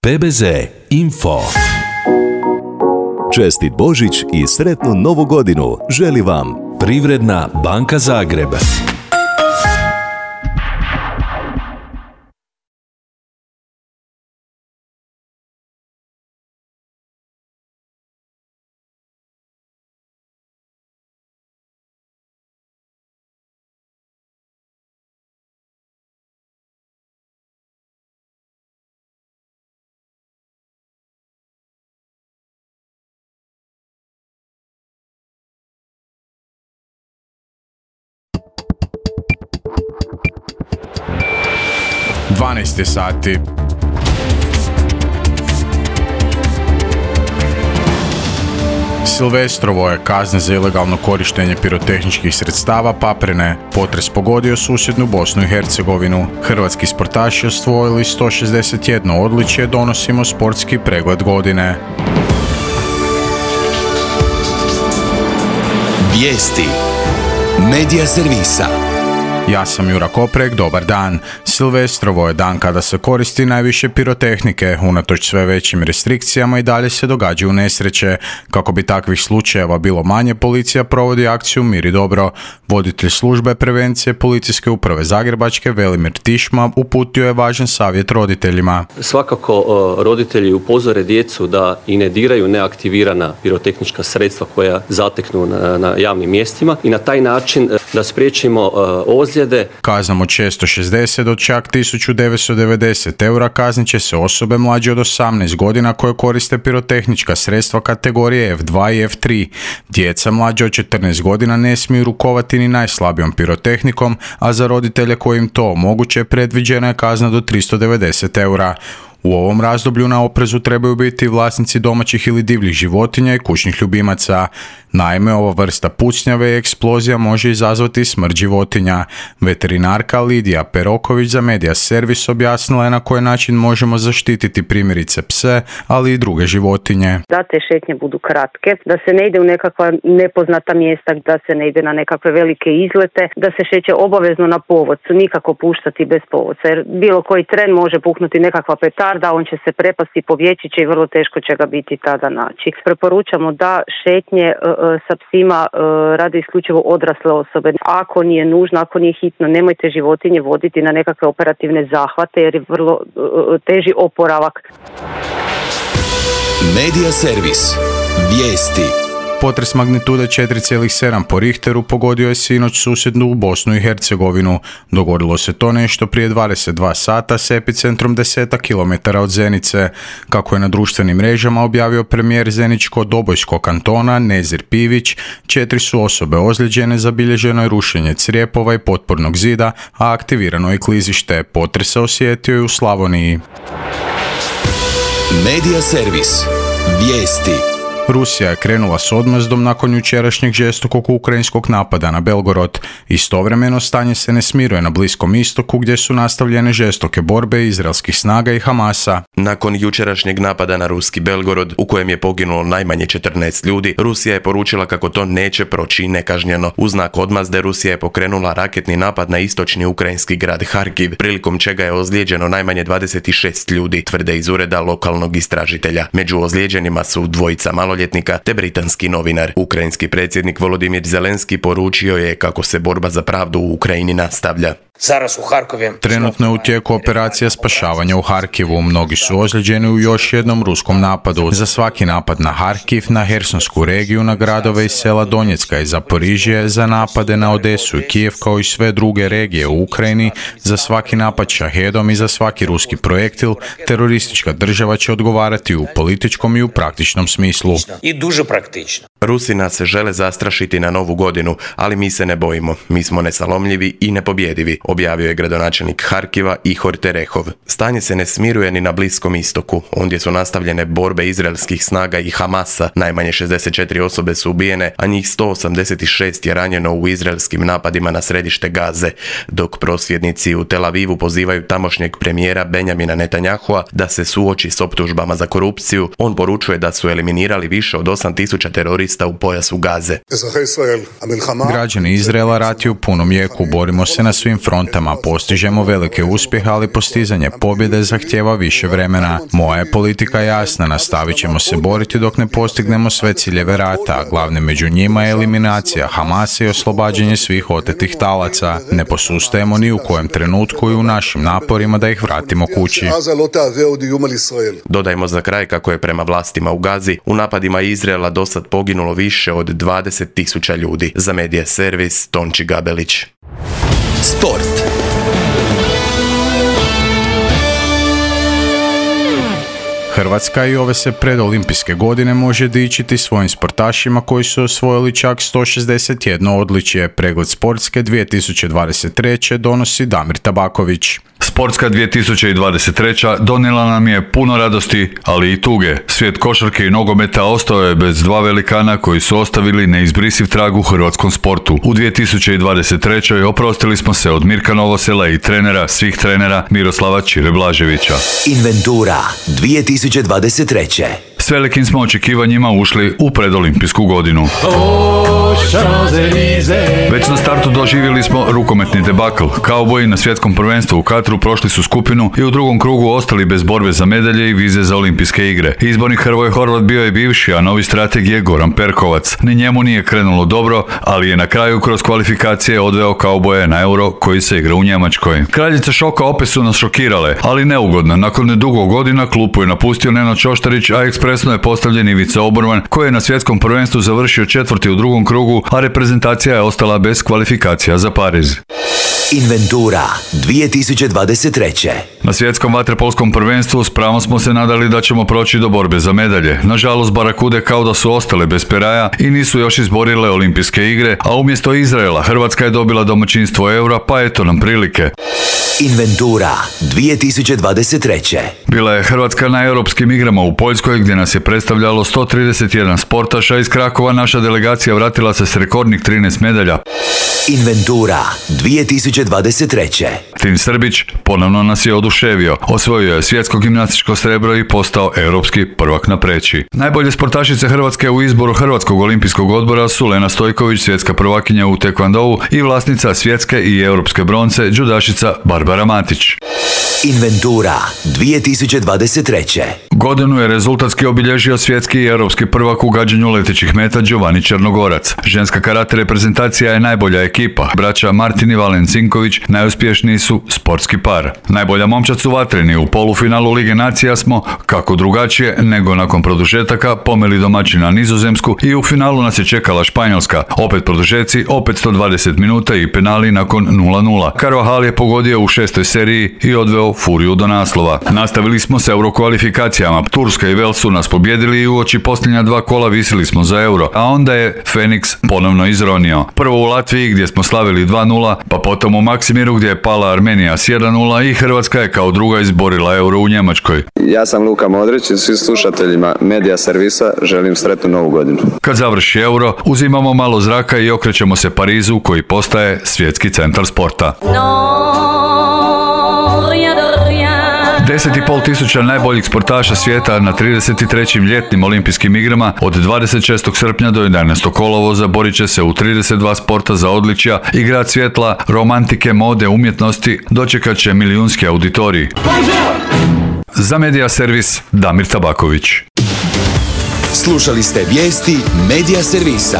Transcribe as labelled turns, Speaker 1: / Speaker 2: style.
Speaker 1: PBZ Info. Čestit Božić i sretnu Novu godinu želi vam Privredna banka Zagreb.
Speaker 2: Sati. Silvestrovo je kazna za ilegalno korištenje pirotehničkih sredstava paprene. Potres pogodio susjednu Bosnu i Hercegovinu. Hrvatski sportaši osvojili 161 odličje, donosimo sportski pregled godine.
Speaker 1: Vijesti Medija servisa.
Speaker 2: Ja sam Jura Koprek, dobar dan. Silvestrovo je dan kada se koristi najviše pirotehnike. Unatoč sve većim restrikcijama i dalje se događaju nesreće. Kako bi takvih slučajeva bilo manje, policija provodi akciju Mir i dobro. Voditelj službe prevencije Policijske uprave Zagrebačke Velimir Tišma uputio je važan savjet roditeljima.
Speaker 3: Svakako roditelji upozore djecu da i ne diraju neaktivirana pirotehnička sredstva koja zateknu na javnim mjestima i na taj način da spriječimo ozljede.
Speaker 2: Kaznom od 660 do čak 1990 eura kaznit će se osobe mlađe od 18 godina koje koriste pirotehnička sredstva kategorije F2 i F3. Djeca mlađe od 14 godina ne smiju rukovati ni najslabijom pirotehnikom, a za roditelje kojim to omoguće predviđena je kazna do 390 eura. U ovom razdoblju na oprezu trebaju biti vlasnici domaćih ili divljih životinja i kućnih ljubimaca. Naime, ova vrsta pucnjave i eksplozija može izazvati smrt životinja. Veterinarka Lidija Peroković za Medija servis objasnila je na koji način možemo zaštititi primjerice pse, ali i druge životinje.
Speaker 4: Da te šetnje budu kratke, da se ne ide u nekakva nepoznata mjesta, da se ne ide na nekakve velike izlete, da se šeće obavezno na povodcu, nikako puštati bez povodca, jer bilo koji tren može puknuti nekakva petarda, on će se prepasti, pobjeći će i vrlo teško će ga biti tada naći. Preporučamo da šetnje sa psima rade isključivo odrasle osobe. Ako nije nužno, ako nije hitno, nemojte životinje voditi na nekakve operativne zahvate jer je vrlo teži oporavak.
Speaker 1: Medija servis. Vijesti.
Speaker 2: Potres magnitude 4,7 po Richteru pogodio je sinoć susjednu Bosnu i Hercegovinu. Dogodilo se to nešto prije 22 sata s epicentrom 10 km od Zenice. Kako je na društvenim mrežama objavio premijer Zeničko-Dobojskog kantona Nezir Pivić, 4 su osobe ozlijeđene, zabilježeno je rušenje crijepova i potpornog zida, a aktivirano je klizište. Potres se osjetio i u Slavoniji.
Speaker 1: Medija servis. Vijesti.
Speaker 2: Rusija je krenula s odmazdom nakon jučerašnjeg žestokog ukrajinskog napada na Belgorod. Istovremeno stanje se ne smiruje na Bliskom istoku gdje su nastavljene žestoke borbe izraelskih snaga i Hamasa.
Speaker 5: Nakon jučerašnjeg napada na ruski Belgorod, u kojem je poginulo najmanje 14 ljudi, Rusija je poručila kako to neće proći nekažnjeno. U znak odmazde Rusija je pokrenula raketni napad na istočni ukrajinski grad Harkiv, prilikom čega je ozlijeđeno najmanje 26 ljudi, tvrde iz ureda lokalnog istražitelja. Među ozlijeđenima su dvojica maloljetnika te britanski novinar. Ukrajinski predsjednik Volodimir Zelenski poručio je kako se borba za pravdu u Ukrajini nastavlja.
Speaker 2: Trenutno je u tijeku operacija spašavanja u Harkivu. Mnogi su ozlijeđeni u još jednom ruskom napadu. Za svaki napad na Harkiv, na Hersonsku regiju, na gradove i sela Donjecka i Zaporižje, za napade na Odesu i Kijev kao i sve druge regije u Ukrajini, za svaki napad šahedom i za svaki ruski projektil, teroristička država će odgovarati u političkom i u praktičnom smislu.
Speaker 5: Rusi nas žele zastrašiti na Novu godinu, ali mi se ne bojimo. Mi smo nesalomljivi i nepobjedivi, objavio je gradonačelnik Harkiva Ihor Terehov. Stanje se ne smiruje ni na Bliskom istoku. Ondje su nastavljene borbe izraelskih snaga i Hamasa. Najmanje 64 osobe su ubijene, a njih 186 je ranjeno u izraelskim napadima na središte Gaze, dok prosvjednici u Tel Avivu pozivaju tamošnjeg premijera Benjamina Netanyahua da se suoči s optužbama za korupciju. On poručuje da su eliminirali više od 8000 terorista terorista u pojasu Gaze.
Speaker 2: Građani Izraela rat je u punom jeku, borimo se na svim frontama, postižemo velike uspjehe, ali postizanje pobjede zahtijeva više vremena. Moja je politika jasna, nastavit ćemo se boriti dok ne postignemo sve ciljeve rata, a glavni među njima je eliminacija Hamasa i oslobađanje svih otetih talaca. Ne posustajemo ni u kojem trenutku i u našim naporima da ih vratimo kući.
Speaker 5: Dodajmo za kraj kako je prema vlastima u Gazi u napadima Izraela dosad poginulo više od 20.000 ljudi. Za Medija servis Tonči Gabelić.
Speaker 1: Sport.
Speaker 2: Hrvatska i ove se predolimpijske godine može dičiti svojim sportašima koji su osvojili čak 161 odličje. Pregled sportske 2023. donosi Damir Tabaković.
Speaker 6: Sportska 2023. donijela nam je puno radosti, ali i tuge. Svijet košarke i nogometa ostao je bez dva velikana koji su ostavili neizbrisiv trag u hrvatskom sportu. U 2023. oprostili smo se od Mirka Novosela i trenera svih trenera Miroslava Čire Blaževića.
Speaker 1: Inventura 2023.
Speaker 6: S velikim smo očekivanjima ušli u predolimpijsku godinu. Već na startu doživjeli smo rukometni debakl. Kauboji na svjetskom prvenstvu u Katru prošli su skupinu i u drugom krugu ostali bez borbe za medalje i vize za olimpijske igre. Izbornik Hrvoje Horvat bio je bivši, a novi strateg je Goran Perkovac. Ni njemu nije krenulo dobro, ali je na kraju kroz kvalifikacije odveo Kauboje na Euro koji se igra u Njemačkoj. Kraljice šoka opet su nas šokirale, ali neugodno. Nakon dugo godina klupu je napustio Nenad Čoštarić, a ekspresno je postavljen Ivica Oborman koji je na svjetskom prvenstvu završio četvrti u drugom krugu, a reprezentacija je ostala bez kvalifikacija za Pariz.
Speaker 1: Inventura 2023.
Speaker 6: Na svjetskom vaterpolskom prvenstvu s pravom smo se nadali da ćemo proći do borbe za medalje. Nažalost, Barakude kao da su ostale bez peraja i nisu još izborile olimpijske igre, a umjesto Izraela Hrvatska je dobila domaćinstvo Eura, pa eto nam prilike.
Speaker 1: Inventura 2023.
Speaker 6: Bila je Hrvatska na europskim igrama u Poljskoj gdje nas je predstavljalo 131 sportaša. Iz Krakova naša delegacija vratila se s rekordnih 13 medalja.
Speaker 1: Inventura 2023.
Speaker 6: Tim Srbić ponovno nas je oduševio. Osvojio je svjetsko gimnastičko srebro i postao europski prvak na preći. Najbolje sportašice Hrvatske u izboru Hrvatskog olimpijskog odbora su Lena Stojković, svjetska prvakinja u tekvandou i vlasnica svjetske i europske bronce, džudašica Barbara Matić.
Speaker 1: Inventura 2023.
Speaker 6: Godinu je rezultatski obilježio svjetski i europski prvak u gađanju letećih meta Giovanni Črnogorac. Ženska karate reprezentacija je najbolja ekipa. Braća Martin i Valen Cinković najuspješniji su sportski par. Najbolja momčad su vatreni. U polufinalu Lige nacija smo, kako drugačije nego nakon produžetaka, pomeli domaćina Nizozemsku i u finalu nas je čekala Španjolska. Opet produžeci, opet 120 minuta i penali nakon 0-0. Carvajal je pogodio u 6. seriji i odveo Furiju do naslova. Nastavili smo s eurokvalifikacijama. Turska i Wales su nas pobjedili i uoči posljednja dva kola visili smo za euro, a onda je Feniks ponovno izronio. Prvo u Latviji gdje smo slavili 2-0, pa potom u Maksimiru gdje je pala Armenija s 1-0 i Hrvatska je kao druga izborila euro u Njemačkoj.
Speaker 7: Ja sam Luka Modrić i svim slušateljima Medija servisa želim sretnu novu godinu.
Speaker 6: Kad završi euro, uzimamo malo zraka i okrećemo se Parizu koji postaje svjetski centar sporta. 10.500 najboljih sportaša svijeta na 33. ljetnim olimpijskim igrama od 26. srpnja do 11. kolovoza borit će se u 32 sporta za odličja i grad svjetla, romantike, mode, umjetnosti dočekat će milijunski auditorij. Za Medija servis Damir Tabaković.
Speaker 1: Slušali ste vijesti Medija servisa.